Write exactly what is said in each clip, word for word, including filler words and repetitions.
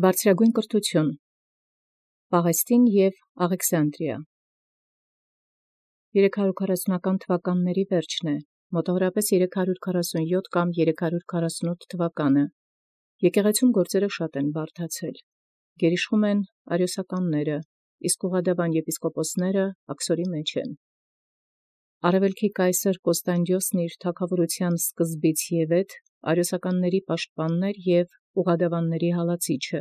Բարձրագոյն կրթութիւն Պաղեստին և Աղեքսանդրիա երեք հարյուր քառասունական թվականացն վերջն է, մոտավորապես երեք հարյուր քառասունյոթ կամ երեք հարյուր քառասունութ թվականը. եկեղեցւոյն գործոյն բազում են բարդացել, գերիշխում են արիոսականները, իսկ ուղղադիւան եպիսկոպոսները աքսորի մեջ են։ Արևելքի կայսեր Կոստանդիոսն իր թագաւորութեան սկզբից յետ արիոսականացն պաշտպանն և ուղղադիւանացն հալածիչը։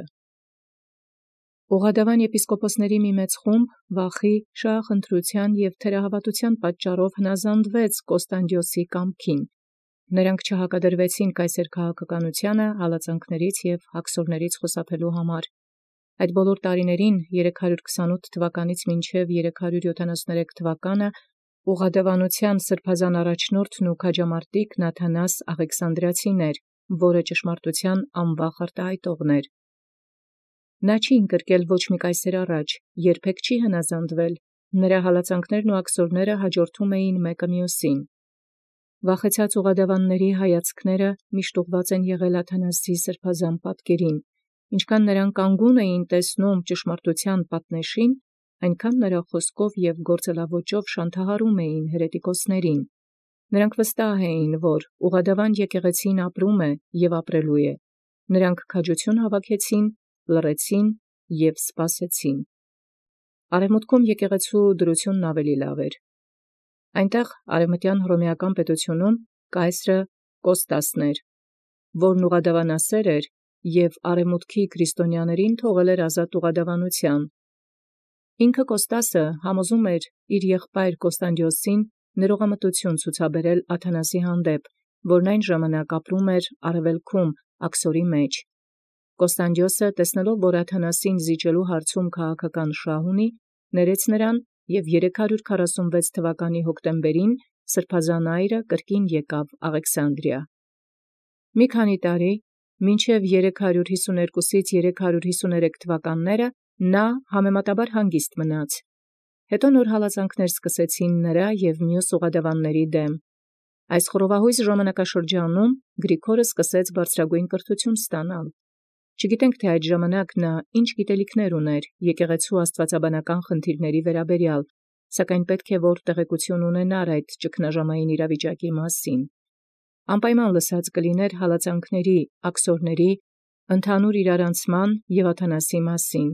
Ուղղադիւան եպիսկոպոսացն մի մեծ խումբ վախի, շահախնդրութեան և թերահաւատութեան պատճառով հնազանդեալ Կոստանդիոսի կամքին. նրանք չհակադրվեցին կայսեր քաղաքականութեանը հալածանքաց և աքսորաց խուսափելոյ համար։ Այդ բոլոր տարիներին երեք հարյուր քսանութ թվականից մինչև երեք հարյուր յոթանասունցերեք թվականը ուղղադիւանութեան սրբազան առաջնորդն և քաջամարտիկ Նաթանաս Աղեքսանդրիացին էր, որ ճշմարտութեան անվախ արտահայտողն էր։ Նա չի ընկրկել ոչ մի կայսեր առաջ, երբեք չի հնազանդվել, նրա հալածանքներն և աքսորացն յաջորդում էին մեկը մյուսին։ Վախեցած ուղղադիւանացն հայացքսն միշտ ուղղված են եղել Աթանասի սրբազան պատկերին, ինչքան նոցա կանգուն էին տեսնում ճշմարտութեան պատնեշին, այնքան նորա խոսքով և գործելաոճով շանթահարում էին հերետիկոսացն։ Նրանք վստահ էին, որ ուղղադիւան եկեղեցին ապրում է և ապրելու է. նրանք քաջութիւն հաւաքեցին, լռեցին և սպասեցին։ Արևմուտքում եկեղեցւոյ դրութիւնն ավելի լավ էր։ Անդ արևմտեան Հռոմեական պետութիւնում կայսեր Կոստասն էր, որոյ ուղղադիւանասէր էր և արևմուտքի քրիստոնեաց թողել ազատ ուղղադիւանութեան։ Ինքն Կոստասը յամոզում էր իր եղբայր Կոստանդիոսին ներողամտութիւն ցուցաբերել Աթանասի հանդեպ, որոյ յայն ժամանակ ապրէր արևելքում աքսորի մեջ։ Կոստանդիոսը տեսեալ, որ Աթանասին զիջելոյ հարցում քաղաքական շահ ունի, ներեց նրան, և երեք հարյուր քառասունվեց թվականի հոկտեմբերին սրբազան այրը կրկին եկեալ Աղեքսանդրիա։ Մի քանի տարի, մինչև երեք հարյուր յիսունհարկոյ երեք հարյուր յիսուներեք թվականացն համեմատաբար հանգիստ մնաց։ Հետո նոր հալածանքս սկսեցին և մյուս ուղղադիւանացն դեմ։ Այս խռովահոյս ժամանակաշրջանում Գրիգորը սկսեալ բարձրագոյն կրթութիւն ստանալ։ Չգիտենք թէ յայդ ժամանակ ինչ գիտելիքս ունէր եկեղեցւոյ աստուածաբանական խնդիրացն, սակայն պետք է որ տեղեկութիւն ունենար այդ ճգնաժամային իրաւիճակի. անպայման լսած կլինէր հալածանքացն, աքսորացն, ընդհանուր իրարանցման և Աթանասի մասին,